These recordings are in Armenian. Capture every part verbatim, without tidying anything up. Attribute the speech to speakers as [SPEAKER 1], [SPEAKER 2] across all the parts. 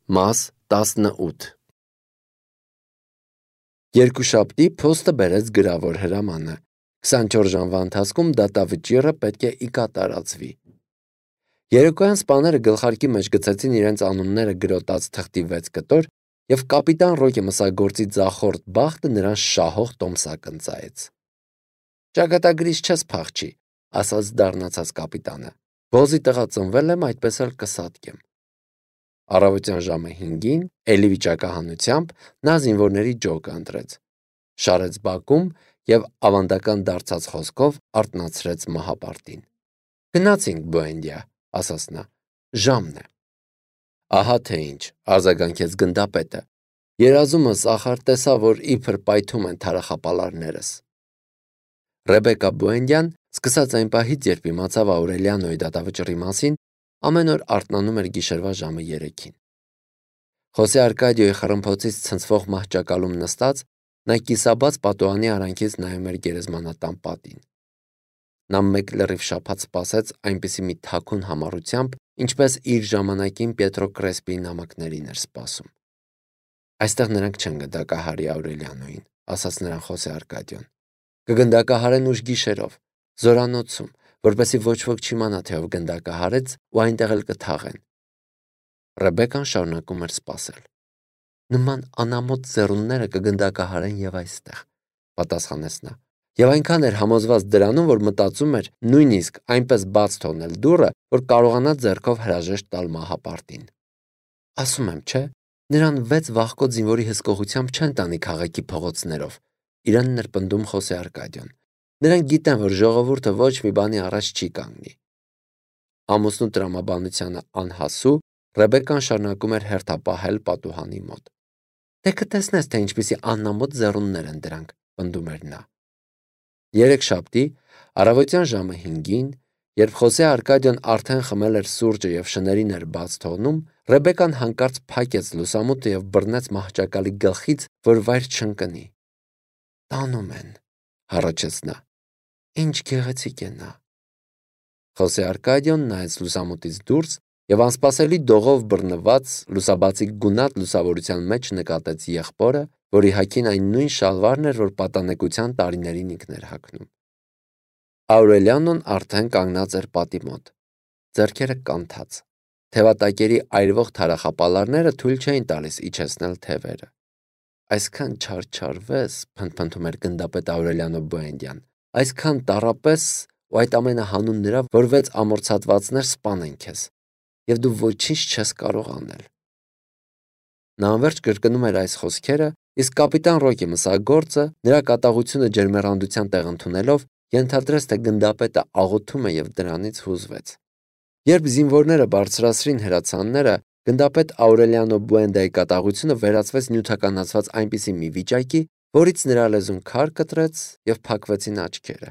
[SPEAKER 1] Մաս տասնութ Երկուշաբթի փոստը բերեց գրավոր հրամանը։ քսանչորս ժամվա ընթացքում դատավճիռը պետք է ի կատարածվի։ Երեկոյան սպաները գլխարկի մեջ գցեցին իրենց անունները գրոտած թղթի վեց կտոր և կապիտան Ռոկի մսագործի ձախորդ բախտը նրան շահող տոմսակ ընծայեց։ «Ճակատագրից չես փախչի», ասաց դառնացած կապիտանը։ «Բոզի տղա ծնվել եմ, այդպես էլ կսատկեմ»։ Առավոտյան ժամը հինգին, էլի վիճակահանությամբ, նա զինվորների ջոկը ընտրեց, շարեց բակում և ավանդական դարձած խոսքով արթնացրեց մահապարտին։ «Գնացինք, Բուենդիա», ասաց նա, «ժամն է»։ «Ահա թե ինչ», արձագանքեց գնդապետը, «երազումս ախար տեսա, որ իբր պայթում են թարախապալարներս»։ Ռեբեկա Բուենդյան, սկսած այն պահից, երբ իմացավ Աուրելիանոյի դատավճռի մասին, ամեն օր արթնանում էր գիշերվա ժամը երեքին։ Խոսե Արկադիոյի խռմփոցից ցնցվող մահճակալում նստած, նա կիսաբաց պատուհանի արանքից նայում էր գերեզմանատան պատին։ Նա մեկ լրիվ շաբաթ սպասեց այնպիսի մի թաքուն համառությամբ, ինչպես իր ժամանակին Պիետրո Կրեսպիի նամակներին էր սպասում։ «Այստեղ նրանք չեն գնդակահարի Աուրելիանոյին», ասաց նրան Խոսե Արկադիոն։ «Կգնդակահարեն ուշ գիշերով, զորանոցում, որպեսզի ոչ ոք չիմանա, թե ով գնդակահարեց, ու այնտեղ էլ կթաղեն»։ Ռեբեկան շարունակում էր սպասել։ «Նման անամոթ ձեռունները կգնդակահարեն և այստեղ», պատասխանեց նա, և այնքան էր համոզված դրանում, որ մտածում էր նույնիսկ այնպես բաց թողնել դուռը, որ կարողանա ձեռքով հրաժեշտ տալ մահապարտին։ «Ասում եմ, չէ, նրան վեց վախկոտ զինվորի հսկողությամբ չեն տանի քաղաքի փողոցներով», իրանն էր պնդում Խոսե Արկադիոն։ «Նրանք գիտեն, որ ժողովուրդը ոչ մի բանի առաջ չի կանգնի»։ Ամուսնու տրամաբանությանը անհասու, Ռեբեկան շարունակում էր հերթապահել պատուհանի մոտ։ «Դե կտեսնես, թե ինչպիսի անամոթ ձեռուններ են դրանք», պնդում էր նա։ Երեքշաբթի, առավոտյան ժամը հինգին, երբ Խոսե Արկադիոն արդեն խմել էր սուրճը և շներին էր բաց թողնում, Ռեբեկան հանկարծ փակեց լուսամուտը և բռնեց մահճակալի գլխից, որ վայր չընկնի։ «Տանում են», հառաչեց նա։ «Ինչ գեղեցիկ է նա»։ Խոսե Արկադիոն նայեց լուսամուտից դուրս և անսպասելի դողով բռնված լուսաբացի գունատ լուսավորության մեջ նկատեց եղբորը, որի հագին այն նույն շալվարն էր, որ պատանեկության տարիներին ինքն էր հագնում։ Աուրելիանոն արդեն կանգնած էր պատի մոտ, ձեռքերը կանթած։ Թևատակերի այրվող թարախապալարները թույլ չէին տալիս իջեցնել թևերը։ «Այսքան չարչարվես», փնթփնթում էր գնդապետ Աուրելիանո Բուենդյան, «այսքան տառապես, ու այդ ամենը հանուն նրա, որ վեց ամորցատվածներ սպանեն քեզ, և դու ոչինչ չես կարող անել»։ Նա անվերջ կրկնում էր այս խոսքերը, իսկ կապիտան Ռոկի մսագործը, նրա կատաղությունը ջերմեռանդության տեղ ընդունելով, ենթադրեց, թե գնդապետը աղոթում է և դրանից հուզվեց։ Երբ զինվորները բարձրացրին հրացանները, գնդապետ Աուրելիանո Բուենդայի կատաղությունը վերածվեց նյութականացված այնպիսի մի վիճակի, որից նրա լեզուն քար կտրեց և փակվեցին աչքերը։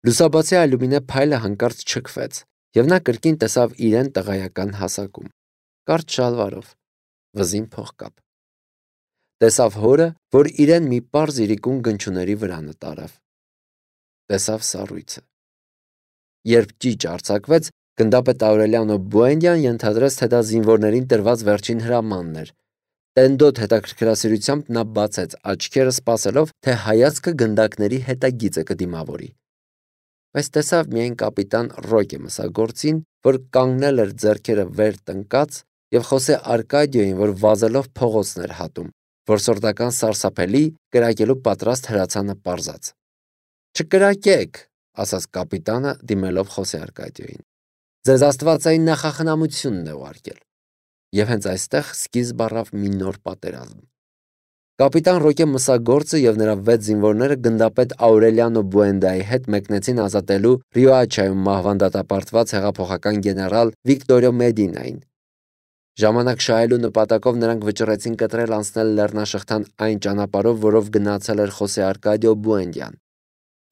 [SPEAKER 1] Լուսաբացի ալյումինե փայլը հանկարծ չքվեց, և նա կրկին տեսավ իրեն տղայական հասակում, կարճ շալվարով, վզին փողկապ։ Տեսավ հորը, որ իրեն մի պարզ իրիկուն գնչուների վրա նտարավ։ Տեսավ սառույցը։ Երբ ճիճ արձակվեց, գնդապետ Աուրելիանո Բուենդյան ենթադրեց, թե դա զինվորներին տրված վերջին հրամանն էր։ Տենդոտ հետաքրքրասիրությամբ նա բացեց աչքերը, սպասելով, թե հայացքը գնդակների հետագիծը կդիմավորի։ Բայց տեսավ միայն կապիտան Ռոկի մսագործին, որ կանգնել էր ձեռքերը վեր տնկած, և Խոսե Արկադիոյին, որ վազելով փողոցն էր հատում, որսորդական սարսափելի, կրակելու պատրաստ հրացանը պարզած։ «Չկրակեք», ասաց կապիտանը, դիմելով Խոսե Արկադիոյին։ «Ձեզ աստվածային նախախնամությունն է ուղարկել»։ Եվ հենց այստեղ սկիզբ առավ մի նոր պատերազմ։ Կապիտան Ռոկե մսագործը և նրա վեց զինվորները գնդապետ Աուրելիանո Բուենդայի հետ մեկնեցին ազատելու Ռիոաչայում մահվան դատապարտված հեղափոխական գեներալ Վիկտորիո Մեդինային։ Ժամանակ շահելու նպատակով նրանք վճռեցին կտրել անցնել լեռնաշղթան այն ճանապարհով, որով գնացել էր Խոսե Արկադիո Բուենդյան։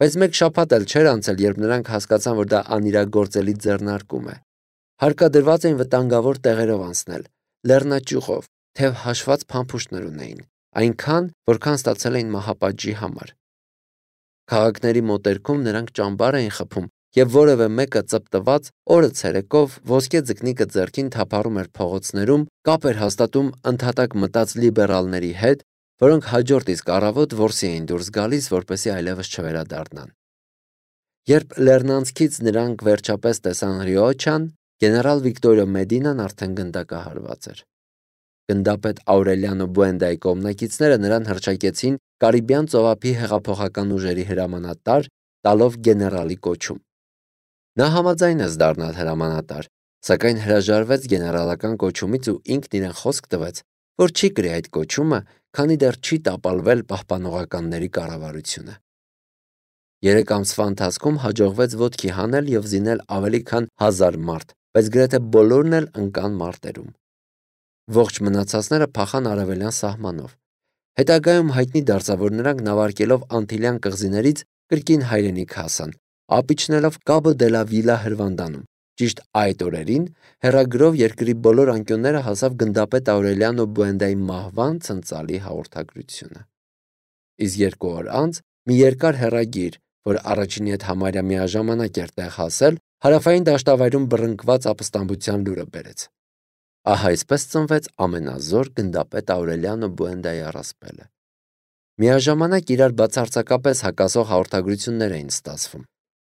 [SPEAKER 1] Բայց մեկ շաբաթ էլ չէր անցել, երբ նրանք հասկացան, որ դա անիրագործելի ձեռնարկում է։ Հարկադրված էին վտանգավոր տեղերով անցնել, լեռնաճյուղով, թեև հաշված փամփուշտներ ունեին, այնքան, որքան ստացել էին մահապատժի համար։ Քաղաքների մոտերքում նրանք ճամբար էին խփում եւ որևէ մեկը ծպտված օրը ցերեկով ոսկե ձկնիկը ձեռքին թափառում էր փողոցներում, կապ էր հաստատում ընդհատակ մտած լիբերալների հետ, որոնք հաջորդ իսկ առավոտ որսի էին դուրս գալիս, որպեսզի այլևս չվերադառնան։ Երբ Լեռնանցքից նրանք վերջապես տեսան Ռիոչան, գեներալ Վիկտորիո Մեդինան արդեն գնդակահարված էր։ Գնդապետ Աուրելիանո Բուենդայի կողմնակիցները նրան հռչակեցին Կարիբյան ծովափի հեղափոխական ուժերի հրամանատար, տալով գեներալի կոչում։ Նա համաձայնեց դառնալ հրամանատար, սակայն հրաժարվեց գեներալական կոչումից ու ինքն իրեն խոսք տվեց, որ չի կրի այդ կոչումը, քանի դեռ չի տապալվել պահպանողականների կառավարությունը։ Երեք ամսվա ընթացքում հաջողվեց ոտքի հանել եւ զինել ավելի քան հազար մարդ, բայց գրեթե բոլորն էլ ընկան մարտերում։ Ողջ մնացածները փախան արևելյան սահմանով։ Հետագայում հայտնի դարձավ, որ նրանք նավարկելով Անտիլյան կղզիներից կրկին հայրենիք հասան, ապիչնելով Կաբո դե լա Վիլա հրվանդանում։ Ճիշտ այդ օրերին հեռագրով երկրի բոլոր անկյունները հասավ գնդապետ Աուրելիանո Բուենդայի մահվան ցնցալի հաղորդագրությունը։ Իսկ երկու օր անց մի երկար հեռագիր, որ առաջինի հետ համարյա միաժամանակ էր տեղ հասել, հարավային դաշտավայրում բռնկված ապստամբության լուրը բերեց։ Ահա այսպես ծնվեց ամենազոր գնդապետ Աուրելիանո Բուենդայի առասպելը։ Միաժամանակ իրար բացարձակապես հակասող հաղորդագրություններ էին ստացվում։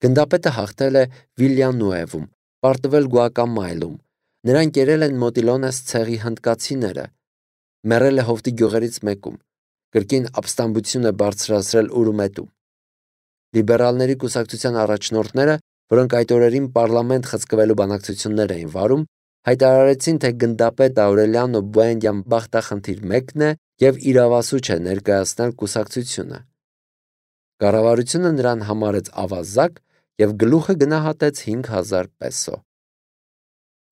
[SPEAKER 1] Գնդապետը հաղթել է Վիլյանուևում, պարտվել Գուակամայլում, նրան կերել են Մոտիլոնես ցեղի հնդկացիները, մեռել է հովտի գյուղերից մեկում, կրկին ապստամբություն է բարձրացրել Ուրումետում։ Լիբերալների կուսակցության առաջնորդները, որոնք այդ օրերին պարլամենտ խցկվելու բանակցություններ էին վարում, հայտարարեցին, թե գնդապետ Աուրելիանո Բուենդյան բախտախնդիր մեկն է եւ իրավասու չէ ներկայացնել կուսակցությունը։ Կառավարությունը նրան համարեց ավազակ եւ գլուխը գնահատեց հինգ հազար պեսո։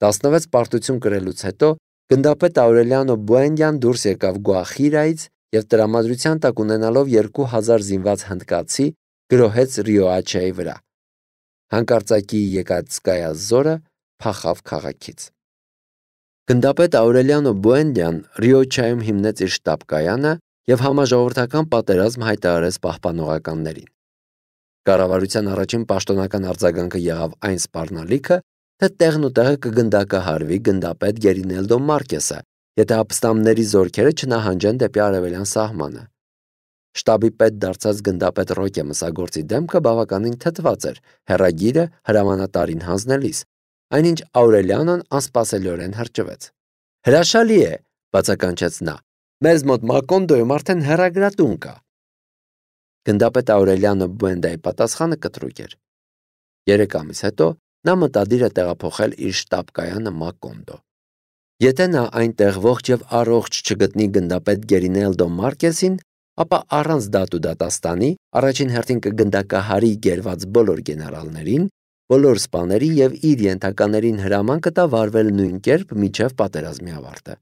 [SPEAKER 1] տասնվեց պարտություն կրելուց հետո գնդապետ Աուրելիանո Բուենդյան դուրս եկավ Գուախիրայից եւ տրամադրության տակ ունենալով երկու հազար զինված հնդկացի գրոհեց Ռիոաչայի վրա։ Հանկարծակի Եկատսկայա զորը փախավ քաղաքից։ Գնդապետ Աուրելիանո Բուենդյան Ռիոչայում հիմնեց իր շտաբ կայանը եւ համաժողովրդական պատերազմ հայտարարեց պահպանողականներին։ Կառավարության առաջին պաշտոնական արձագանքը եղավ այն սպառնալիքը, թե տեղն ու տեղը կգնդակահարվի գնդապետ Գերինելդո Մարկեսը, եթե ապստամբների զորքերը չնահանջեն դեպի արևելյան սահմանը։ Շտաբի պետ դարձած գնդապետ Ռոկե Մսագործի դեմքը բավականին թթված էր հեռագիրը հրամանատարին հանձնելիս, այնինչ Աուրելիանոն անսպասելիորեն հրճվեց։ Հրաշալի է, բացականչեց նա, մեզ մոտ Մակոնդոյում արդեն հեռագրատուն կա։ Գնդապետ Աուրելիանո Բուենդայի պատասխանը կտրուկ էր։ Երեք ամիս հետո նա մտադիր է տեղափոխել իր շտաբ կայանը Մակոնդո։ Եթե նա այնտեղ ողջ եւ առողջ չգտնի գնդապետ Գերինելդո Մարկեսին, ապա առանց դատ ու դատաստանի առաջին հերթին կգնդակահարի գերված բոլոր գեներալներին, բոլոր սպաներին եւ իր ենթականերին հրաման կտա վարվել նույն կերպ մինչեւ պատերազմի ավարտը։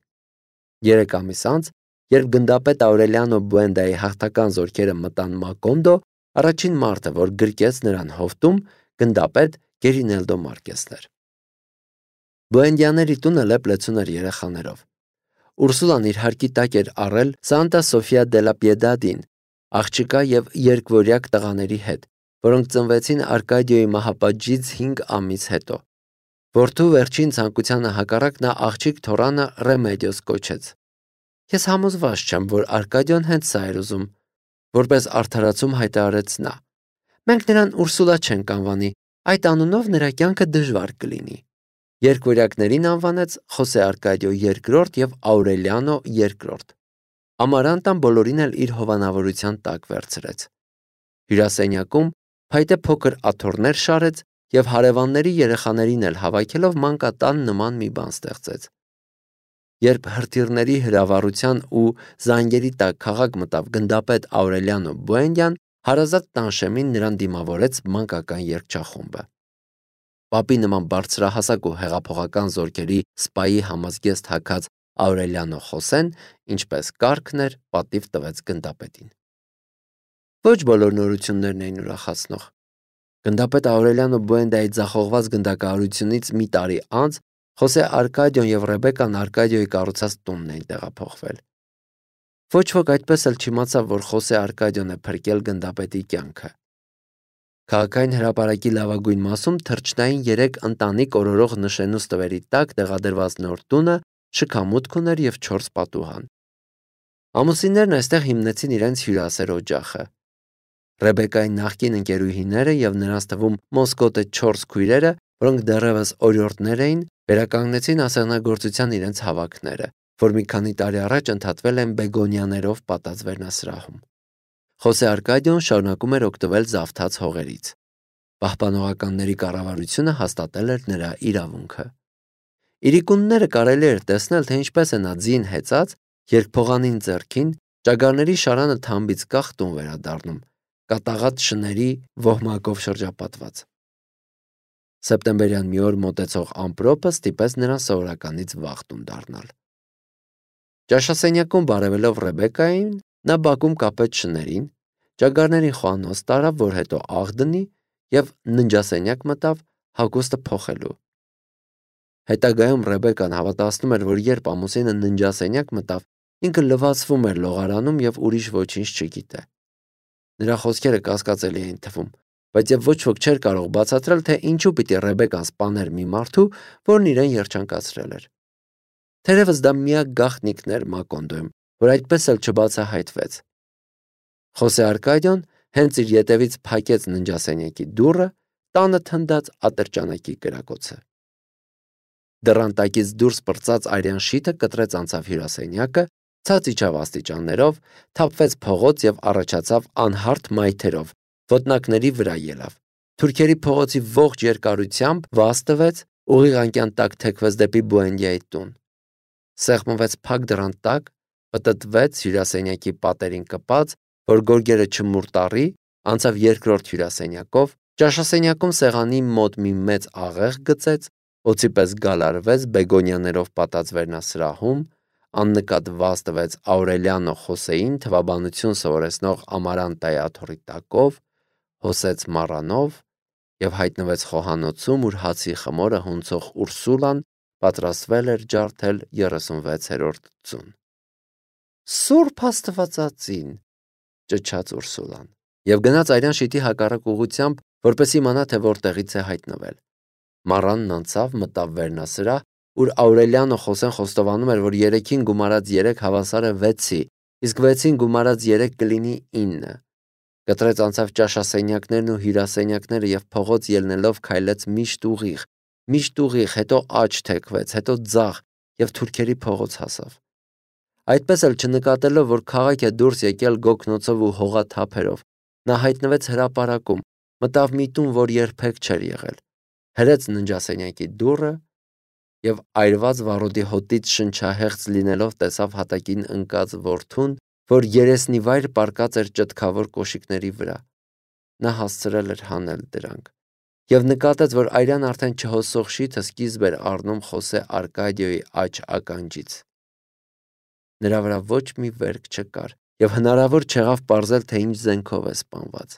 [SPEAKER 1] Երեք ամիս անց, երբ գնդապետ Աուրելիանո Բուենդայի հաղթական զորքերը մտան Մակոնդո, առաջին մարդը, որ գրկեց նրան հովտում, գնդապետ Գերինելդո Մարկեսն էր։ Բուենդյաների տունը լեփ-լեցուն էր երեխաներով։ Ուրսուլան իր հարկի տակ էր առել Սանտա Սոֆիա դե լա Պիեդադին, աղջկա եւ երկվորյակ տղաների հետ, որոնք ծնվեցին Արկադիոյի մահապատժից հինգ ամիս հետո։ Որդու վերջին ցանկությանը հակառակ նա աղջիկ թորանը Ռեմեդիոս կոչեց։ Ես համոզված չեմ, որ Արկադիոն հենց սա էր ուզում, որպես արդարացում հայտարարեց նա։ Մենք նրան Ուրսուլա չենք անվանի, այդ անունով նրա կյանքը դժվար կլինի։ Երկվորյակներին անվանեց Խոսե Արկադիո երկրորդ եւ Աուրելիանո երկրորդ։ Ամարանտան բոլորին էլ իր հովանավորության տակ վերցրեց։ Հյուրասենյակում փայտե փոքր աթոռներ շարեց եւ հարևանների երեխաներին էլ հավաքելով մանկատան նման մի բան ստեղծեց։ Երբ հրթիռների հրավառության ու զանգերի տակ քաղաք մտավ գնդապետ Աուրելիանո Բուենդյան, հարազատ տանշեմին նրան դիմավորեց մանկական երգչախումբը։ Պապի նման բարձրահասակ ու հեղափոխական զորքերի սպայի համազգեստ հագած Աուրելիանո Խոսեն, ինչպես կարգն էր, պատիվ տվեց գնդապետին։ Ոչ բոլոր նորություններն էին ուրախացնող։ Գնդապետ Աուրելիանո Բուենդայի ձախողված գնդակահարությունից մի տարի անց Խոսե Արկադիոն եւ Ռեբեկան Արկադիոյի կառուցած տունն էին տեղափոխվել։ Ոչ ոք այդպես էլ չիմացավ, որ Խոսե Արկադիոն է փրկել գնդապետի կյանքը։ Քաղաքային հրապարակի լավագույն մասում թռչնային երեք ընտանիք օրորող նշենուս տվերի տակ տեղադրված նոր տունը շքամուտք ուներ և չորս պատուհան։ Ամուսիններն այստեղ հիմնեցին իրենց հյուրասեր օջախը։ Ռեբեկայի նախկին ընկերուհիները և նրանց թվում Մոսկոտե չորս քույրերը, որոնք դեռևս օրիորդներ էին, վերականգնեցին ասեղնագործության իրենց հավաքները, որ մի քանի տարի առաջ ընդհատվել են բեգոնիաներով պատած վերնասրահում։ Խոսե Արկադիոն շարունակում էր օգտվել զավթած հողերից։ Պահպանողականների կառավարությունը հաստատել էր նրա իրավունքը։ Իրիկունները կարելի էր տեսնել, թե ինչպես է նա ձին հեծած, երբ փողանին ձեռքին ճագարների շարանը թամբից կախ տուն վերադառնում, կատաղած շների ոհմակով շրջապատված։ Սեպտեմբերյան մի օր մոտեցող ամպրոպը ստիպեց նրան սովորականից վաղ տուն դառնալ։ Ճաշասենյակում բարևելով Ռեբեկային, նա բակում կապեց շներին, ճագարներին խոհանոց տարավ, որ հետո աղ դնի, և ննջասենյակ մտավ հագուստը փոխելու։ Հետագայում Ռեբեկան հավատացնում էր, որ երբ ամուսինը ննջասենյակ մտավ, ինքը լվացվում էր լողարանում և ուրիշ ոչինչ չգիտե։ Նրա խոսքերը կասկածելի էին թվում, բայց և ոչ ոք չէր կարող բացատրել, թե ինչու պիտի Ռեբեկան սպաներ մի մարդու, որն իրեն երջանկացրել էր։ Թերևս դա միակ գաղտնիքն էր Մակոնդոյում, որ այդպես էլ չբացահայտվեց։ Խոսե Արկադիոն հենց իր ետևից փակեց ննջասենյակի դուռը, տանը թնդաց ատրճանակի կրակոցը։ Դռան տակից դուրս պրծած արյան շիթը կտրեց անցավ հյուրասենյակը, ցած իջավ աստիճաններով, թափվեց փողոց և առաջացավ անհարթ մայթերով, ոտնակների վրա ելավ։ Թուրքերի փողոցի ողջ երկարությամբ վազ տվեց, ուղիղ անկյան տակ թեքվեց դեպի Բուենդիայի տուն։ Սեղմվեց փակ դռան տակ, պտտվեց հյուրասենյակի պատերին կպած, որ գորգերը չմուրտառի, անցավ երկրորդ հյուրասենյակով, ճաշասենյակում սեղանի մոտ մի մեծ աղեղ գծեց, օձի պես գալարվեց բեգոնիաներով պատած վերնասրահում, աննկատ վազ տվեց Աուրելիանո Խոսեին թվաբանություն սովորեցնող Ամարանտայի աթոռի տակով, հոսեց մառանով և հայտնվեց խոհանոցում, ուր հացի խմորը հունցող Ուրսուլան պատրաստվել էր ջարդել երեսունվեցերորդ ձուն։ «Սուրբ Աստվածածին», ճչաց Ուրսուլան, և գնաց արյան շիթի հակառակ ուղղությամբ, որպես իմանա, թե որտեղից է հայտնվել։ Մառանն անցավ, մտավ վերնասրահ, ուր Աուրելիանո Խոսեն խոստովանում էր, որ երեքին գումարած երեք հավասար է վեցի, իսկ վեցին գումարած երեք կլինի ինը։ Կտրեց անցավ ճաշասենյակներն ու հյուրասենյակները և փողոց ելնելով քայլեց միշտ ուղիղ, միշտ ուղիղ, հետո աջ թեքվեց, հետո ձախ և թուրքերի փողոց հասավ։ Այդպես էլ չնկատելով, որ քաղաք է դուրս եկել գոգնոցով ու հողաթափերով, նա հայտնվեց հրապարակում, մտավ մի տուն, որ երբեք չէր եղել, հրեց ննջասենյակի դուռը և այրված վառոդի հոտից շնչահեղձ լինելով տեսավ հատակին ընկած որդուն, որ երեսնիվայր պառկած էր ճտկավոր կոշիկների վրա։ Նա հասցրել էր հանել դրանք և նկատեց, որ արյան արդեն չհոսող շիթը սկիզբ էր առնում Խոսե Արկադիոյի աջ ականջից։ Նրա վրա ոչ մի վերք չկար, և հնարավոր չեղավ պարզել, թե ինչ զենքով է սպանված։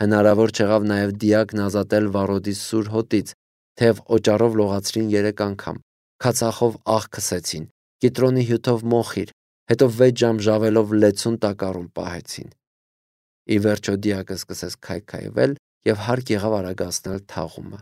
[SPEAKER 1] Հնարավոր չեղավ նաև դիակն ազատել վառոդի սուր հոտից, թեև օճառով լողացրին երեք անգամ, քացախով աղ քսեցին, կիտրոնի հյութով մոխիր, հետո վեց ժամ ժավելով լեցուն տակառում պահեցին։ Ի վերջո դիակը սկսեց քայքայվել և հարկ եղավ արագացնել թաղումը։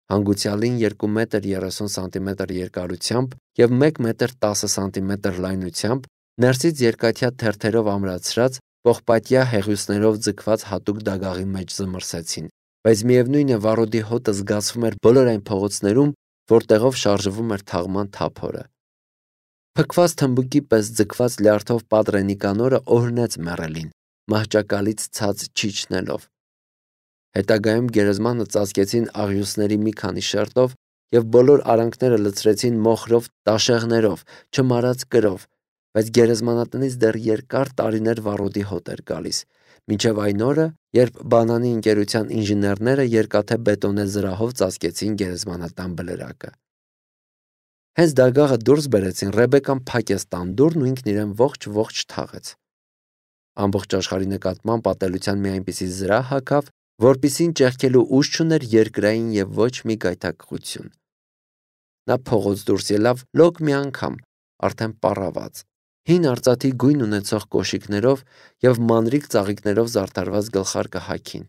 [SPEAKER 1] Հանգուցյալին երկու մետր երեսուն սանտիմետր երկարությամբ և մեկ մետր տասը սանտիմետր լայնությամբ ներսից երկաթյա թերթերով ամրացրած, պողպատյա հեղուսներով ձգված հատուկ դագաղի մեջ զմռսեցին, բայց միևնույն է վառոդի հոտը զգացվում էր բոլոր այն փողոցներում, որտեղով շարժվում էր թաղման թափորը։ Փքված թմբուկի պես ձգված լյարդով Պատրե Նիկանորը օրհնեց մեռելին, մահճակալից ցած չիջնելով։ Հետագայում գերեզմանը ծածկեցին աղյուսների մի քանի շերտով և բոլոր արանքները լցրեցին մոխրով տաշեղներով, չմարած կրով, բայց գերեզմանատնից դեռ երկար տարիներ վառոդի հոտ էր գալիս, մինչև այն օրը, երբ բանանի ընկերության ինժեներները երկաթե բետոնե զրահով ծածկեցին գերեզմանատան բլրակը։ Հենց դագաղը դուրս բերեցին, Ռեբեկան փակեց տան դուռն ու ինքն իրեն ողջ-ողջ թաղեց։ Ամբողջ աշխարհի նկատմամբ ատելության մի այնպիսի զրահ հագավ, որպիսին ճեղքելու ուժ չուներ երկրային և ոչ մի գայթակղություն։ Նա փողոց դուրս ելավ լոկ մի անգամ, արդեն պառաված, հին արծաթի գույն ունեցող կոշիկներով և մանրիկ ծաղիկներով զարդարված գլխարկը հագին։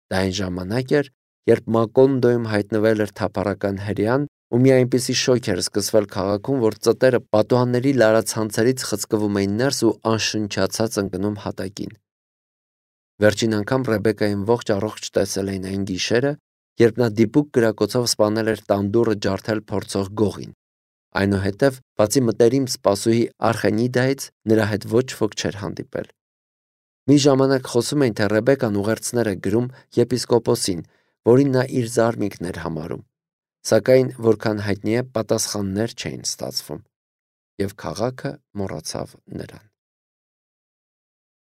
[SPEAKER 1] Դա այն ժամանակ էր, երբ Մակոնդոյում հայտնվել էր թափառական հրեան, ու մի այնպիսի շոկ էր սկսվել քաղաքում, որ ծտերը պատուհանների լարացանցերից խցկվում էին ներս ու անշնչացած ընկնում հատակին։ Վերջին անգամ Ռեբեկային ողջ առողջ տեսել էին այն գիշերը, երբ նա դիպուկ կրակոցով սպանել էր տանդուռը ջարդել փորձող գողին։ Այնուհետև, բացի մտերիմ սպասուհի Արխենիդայից, նրա հետ ոչ ոք չէր հանդիպել։ Մի ժամանակ խոսում էին, թե Ռեբեկան ուղերձներ է գրում եպիսկոպոսին, որին նա իր զարմիկն էր համարում, սակայն, որքան հայտնի է, պատասխաններ չէին ստացվում, և քաղաքը մոռացավ նրան։